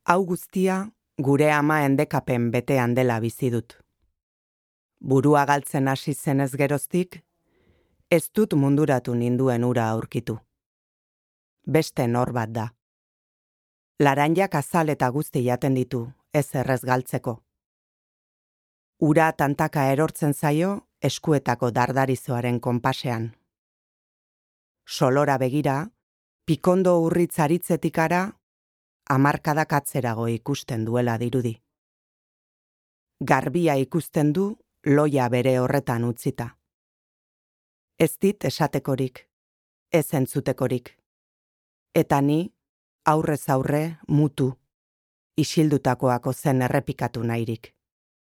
Hau guztia gure ama endekapen betean dela bizi dut. Burua galtzen hasi zenez geroztik, ez dut munduratu ninduen ura aurkitu. Beste nor bat da. Laranjak azal eta guzti jaten ditu, ez errez galtzeko. Ura tantaka erortzen zaio eskuetako dardarizoaren konpasean. Solora begira, pikondo urritz aritzetik ara, hamarkadak atzerago ikusten duela dirudi. Garbia ikusten du loia bere horretan utzita. Ez dit esatekorik, ez entzutekorik. Eta ni, aurrez aurre, mutu, isildutakoako zen errepikatu nahirik.